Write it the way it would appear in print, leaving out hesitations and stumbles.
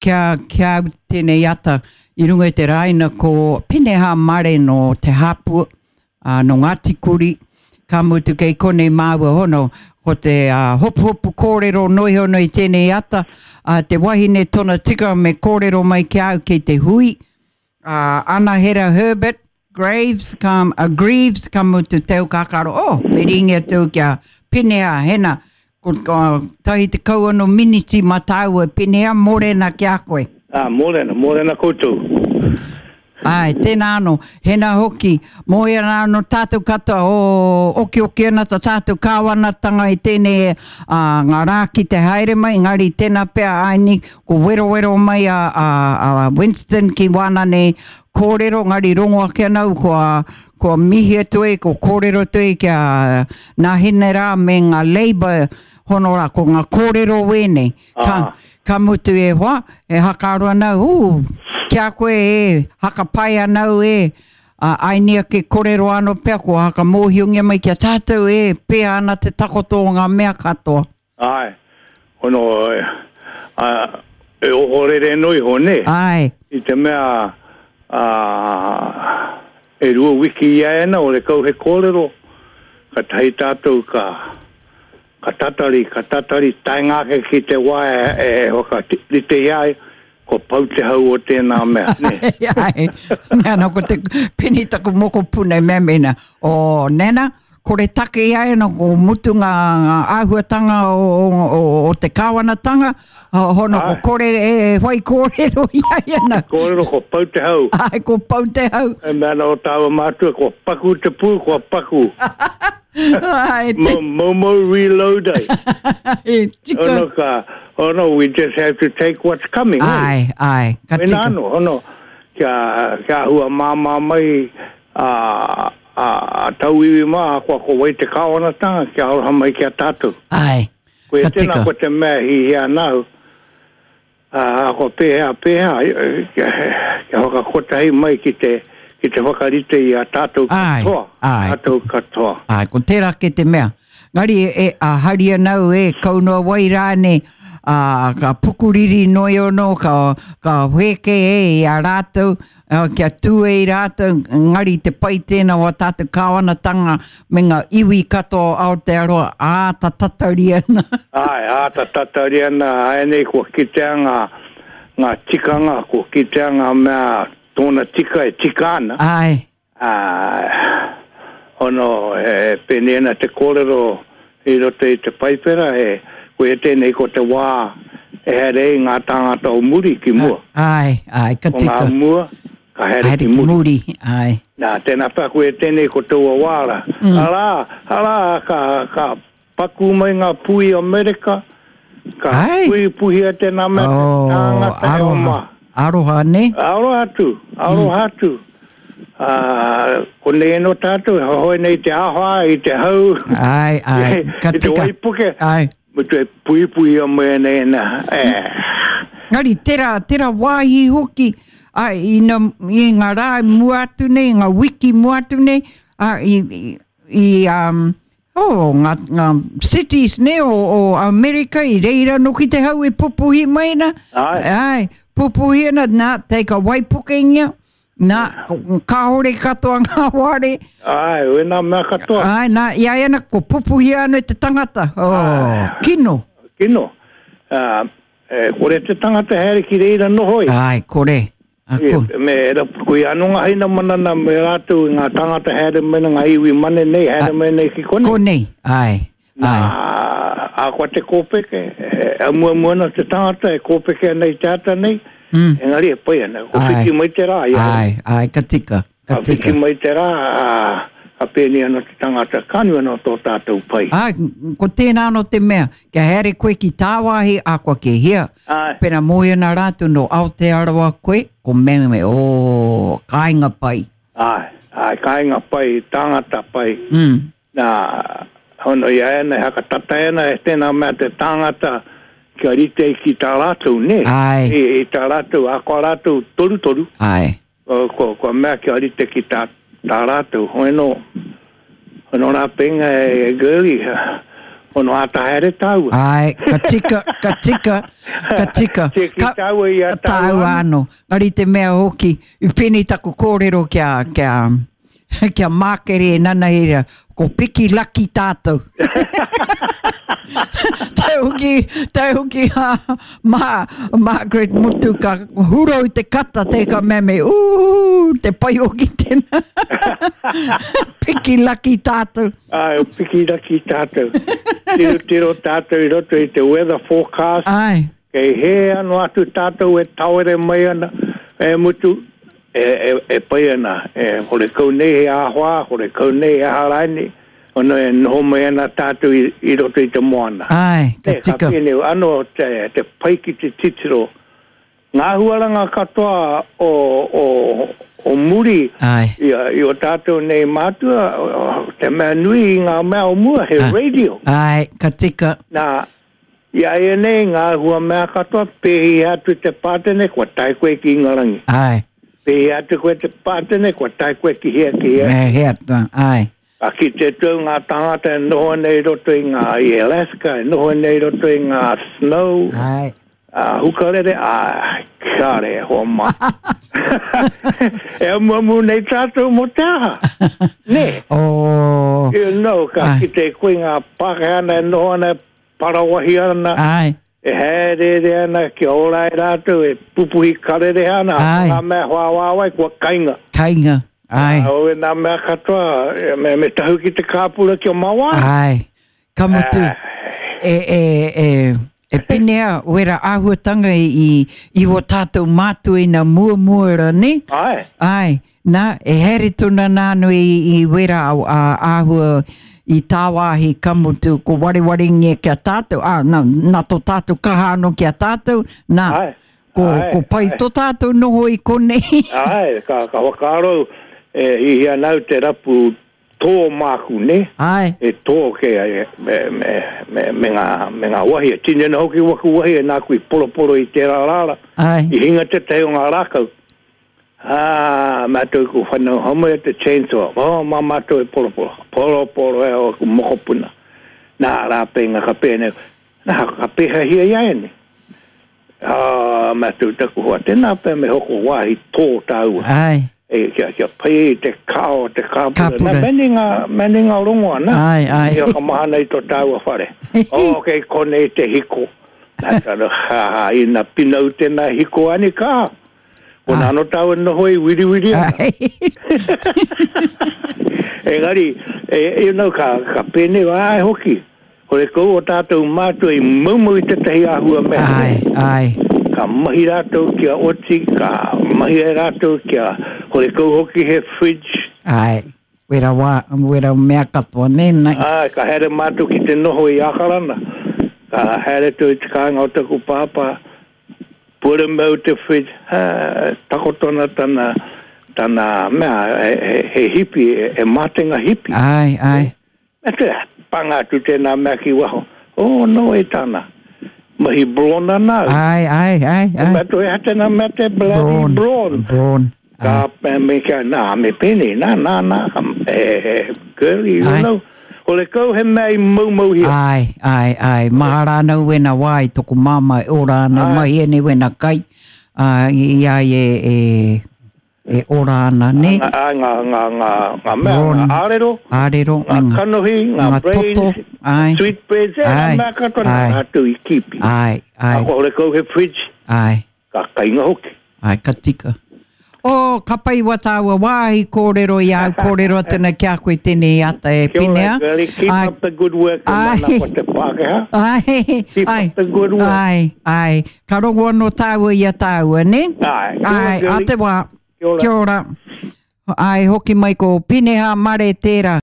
Kia, kia au tēnei ata i runga i te rāina ko Peneha Mare nō Te Hāpua, ā, nō Ngāti Kuri, ka mutu kei konei māua hono, ko te ā, hopuhopu kōrero noa iho nei tēnei ata, ā, te wahine tona tika me kōrero mai ki a au kei te hui, ā, Anahera Herbert, Graves, ka, a Greaves, ka mutu te au kakaro, oh, me ringi atu au ki a Pineha, hena, ko, ko tahi te kau ano miniti ma tāua, Pineha, mōrena ki a koe. Ah, mōrena, mōrena koutou. Ai, tēnā anō, hena hoki, mōhio ana anō tātou katoa, oh, okioki ana tā tātou kāwanatanga i tēnei ā, ngā rā ki te haere mai, engari tēnā pea aini, ko werowero mai a, a, a Winston ki wāna nei kōrero, engari rongo ake ana au kua, kua mihi atu e, kua kōrero atu e ki a Nahine rā me ngā Labour hono rā, ko ngā kōrero wēnei. Ka, ah. ka mutu e hoa, e hakaaro ana au, ū, ki a koe e, hakapai ana au e, a, aini ake kōrero anō pea, kua hakamōhiongia mai ki a tātou e, pēhea ana te takoto o ngā mea katoa. Āe, hono, a, e ohorere noa iho, nē? Āe. I te mea, a, e rua wiki i a ena, ore kau he kōrero, ka tahi tātou ka, ka tatari, ka tatari, taenga ake ki te wā e, e whakarite i a ia, kua pau te hau o tēnā mea, nē? Āe, mea ana ko te peni taku mokopuna e mea mena, o Nana, Kore take i a ia, ko mutu ngā āhuatanga o, o, o, o te kāwanatanga, hono ko kore e whai kōrero i a ia na. Kōrero ko pau te hau. Ai, ko pau te hau. E mea ana o tāua mātua, kua paku te pū, kua paku. Ai, te... Momo reload ai. E, tika. Ono ka, ono, we just have to take what's coming. Ai, ai, ka tika. Wena ano, ono, kia, kia hua māmā mai, a, a tauiwi mā, ahakoa ko wai te kāwanatanga, kia aroha mai ki a tātou. Āe, Koia ka tēnā tika. ko te mea hihia ana au, ā, ahakoa pēhea, pēhea, kia, kia whakakotahi mai ki te, ki te whakarite i a tātou Āe, katoa, āe. tātou katoa. Āe, ko tērā kē te mea. Ngari e, a hari ana au e, kau noa wai rānei, ā, ka pukuriri noi ono, ka, ka whēke e i a rātou, ā, kia tū e i rātou, ngari te pai tēnā o a tātou kāwanatanga me ngā iwi katoa o Aotearoa, āta tatari ana. Āe, āta tatari ana, āianei kua kitea ngā, ngā tikanga, kua kitea ngā mea tōna tika e tika ana. Āe. Ā, hono, e pēnei ana te kōrero i roto i te Paipera, he, koia tēnei ko te wā e haere ai ngā tāngata o muri ki mua. Āe, āe, ka tika. Ko ngā mua, ka haere ki muri. muri, āe. Nā, tēnā pea koia tēnei ko taua wā rā. Mm. Arā, arā, ka, ka Pakū mai ngā pū i Amerika, ka puhipuhia tēnā mea te tāngata e oma. Aroha, nē? Aroha atu, aroha atu. Konei anō tātou, e hohoi nei te awha, i te hau, ai, ai, ka i te waipuke, ai. Mutu e puhipuhia mai ana ēnā. Engari, tērā, tērā wāhi hoki, ai, i, na, i ngā rā mua atu nei, ngā wiki mua atu nei, a, i, i, i um, Oh, ngā, ngā cities ne o, o Amerika i reira noki te hau e pupuhi mai na. Ai. Ai, pupuhi ana, nā, te ka waipukengia, nā, kāore katoa ngā ware. Ai, wena mea katoa. Ai, nā, i ai ana, ko pupuhi ana te tangata. Oh, Ai. kino. Kino. Uh, e, kore te tangata haere ki reira noho ai. Ai, kore. Ako. Me era, ko ia anō ngā haina manana me rātou i ngā tāngata haere mai nei, ngā iwi mane nei, haere mai nei ki konei. Konei, āe, āe. Nā, ahakoa te kōpeke, e amuamu ana te tangata e kōpeke ana i te ata nei, mm. engari e pai ana, ko whiti mai te rā. Āe, āe, ka tika, ka tika. Ka whiti mai te rā, ā, ka pēnei anō te tangata, ka nui anō tō tātou pai. Āe, ko tēnā anō te mea, kia haere koe ki tāwāhi, ahakoa ki hea, Āe. Pena mōhio ana rātou nō Aotearoa koe, ko Meme, ō, kāinga pai. Āe, āe, kāinga pai, tāngata pai. Mm. Nā, hono i a ana, e hakatata ana e tēnā mea te tāngata kia rite ki tā rātou, nē? Āe. I, i tā rātou, ahakoa rātou torutoru. Āe. Kua, kua mea kia rite ki tā, tā rātou. Hoi anō, hoi anō rā penga e, e Girlie. Ono āta haere tāua. Ai, ka tika, ka tika, ka tika. Tiaki Ka, tāua i a tāua tāua anō. anō. Ngari te mea hoki, i pēnei taku kōrero kia, kia, kia mākere e nanahira, ko piki laki tātou. Te hoki, te hoki a Ma, Margaret Mutu ka hurau te kata te ka mea me, ū, te pai hoki tēnā. Piki laki tātou. Ai, o piki laki tātou. Tiro tiro tātou i roto i te weather forecast. Ai. Kei hē ano atu tātou e tawere mai ana, e mutu, e, e, e pai ana, e horekau nei he āwhā, horekau nei he aha rānei, ono e noho mai ana tātou i, i roto i te moana. Ai, ka Nē, ka tika. pēnei, ano te, te pai ki te titiro. Ngā huaranga katoa o, o, o muri Ai. i, i o tātou nei mātua, te mea nui i ngā mea o mua, he Ai. radio. Ai, ka tika. Nā, i a ia nei ngā hua mea katoa, pēhi atu te pātene, kua tae koe ki Ingarangi. Ai. Pēhi atu koe te pātene, kua tae koe ki hea, ki hea. Me hea, ai. Ka kite atu au ngā tāngata e noho ana i roto i ngā, i Alaska, e noho ana i roto i ngā snow. Ai. Ā, hukarere, ā, kāre e hoa mā. E amuamu nei tātou mō te aha. Nē? Oh. You know, ka Ai. kite koe ngā Pākehā ana e noho ana, e parawahi ana, Ai. e hāereere ana kia ora ai rātou, e pupuhi karere ana, Ai. ngā mea whāwāwai kua kainga. Kainga. Ai. Ā, o ngā mea katoa, e, me, me tahu ki te kāpura kia mawa. Ai. Ka mutu, e, e, e, e pinea wera āhuatanga i, i, i o tātou mātua ina muamua ra, ne? Ai. Ai, nā, e haere tona nānu i, i wera a, a, āhua i tāwāhi ka mutu, ko warewarengia ki a tātou, ā, nā, nā tō tātou kaha anō ki a tātou, nā, Ai. ko, Ai, ko pai ai. tō tātou noho i konei. Ai, ka, ka whakaaro e hihia nau te rapu tō māku, ne? Ai. E tō ke e, me, me, me, me, ngā, me ngā wahi. E tini ana hoki waku wahi e nāku i poroporo i tērā rāra. Ai. I hinga tētahi o ngā rākau. Ā, mātou ku whanau homai e te chainsaw. Oh, mā mātou e poroporo. Poroporo e o aku mokopuna. Nā, rā pēnga ka pēnei. Nā, ka pēhahia i a ene. Ā, mātou taku hoa. Tēnā pē me hoko wāhi tō tāua. Ai. E, kia, kia pai i te kao, te kāpura. Kāpura. Nā, meni ngā, meni ngā rongoa, nā. Ai, ai. Ia ka mahana i tō tāua whare. o, kei konei te hiko. Nā, tano, ha, ha, ina pinau tēnā hiko ani ka. Ko Ah. nāno tāua noho i wiriwiri ana. Ai. Engari, e, you know, ka, ka pēnei ai hoki. Hore kou o tātou mātua i maumau i tētahi āhua mea. Ai, ai. Ka mahi rātou kia oti, ka mahi ai rātou kia hore kou hoki he fridge. Ai. Wera wā, wera mea katoa, nē, nai. Ai, ka haere mātou ki te noho i Ākarana. Ka haere tō i te kāinga o taku pāpā, pure mau te fridge, ha, takoto ana tana, tana mea, he, he, he hipi, he, he mātenga hipi. Ai, ai. Me te panga atu tēnā mea ki waho. Oh, no, e tāna. Mahi brawn ana au. Ai, ai, ai, ai. Mea tō e hatena mea te bloody brawn. Brawn. Ka me kia, nā, me pēnei, nā, nā, nā, e, e, girlie, you Ai. know. O le kau he mea i maumauhia. Ai, ai, ai. Maha rānau wena wā i toko māma e ora ana, Ai. mai ene wena kai. Uh, i ai e, e, e ora ana, ne? Ngā, ngā, ngā, ngā, ngā, ngā mea, Brawn. ngā ārero, Ārero, ngā me ngā, kanohi, ngā ngā brains, toto, ai. sweet breads, e, ngā Ai. mea katoa nā Ai. rātou i kipi. Ai, ai, A ko hore kau he fridge, ai. ka kainga hoki. Ai, ka tika. O, ka pai wa tāua wāhi kōrero i au kōrero tēnā ki a koe tēnei ata e Kia ora, pinea. girlie, keep Ai. up the good work, e Ai. mana ko te Pākehā. Ai, Keep ai, up the good work. ai, ai. Ka rongo anō tāua i a tāua, ne? Ai, kia ora, Ai, a girlie. te wā. Kia ora. Kia ora. Ai, hoki mai ko Pineha Mare tērā.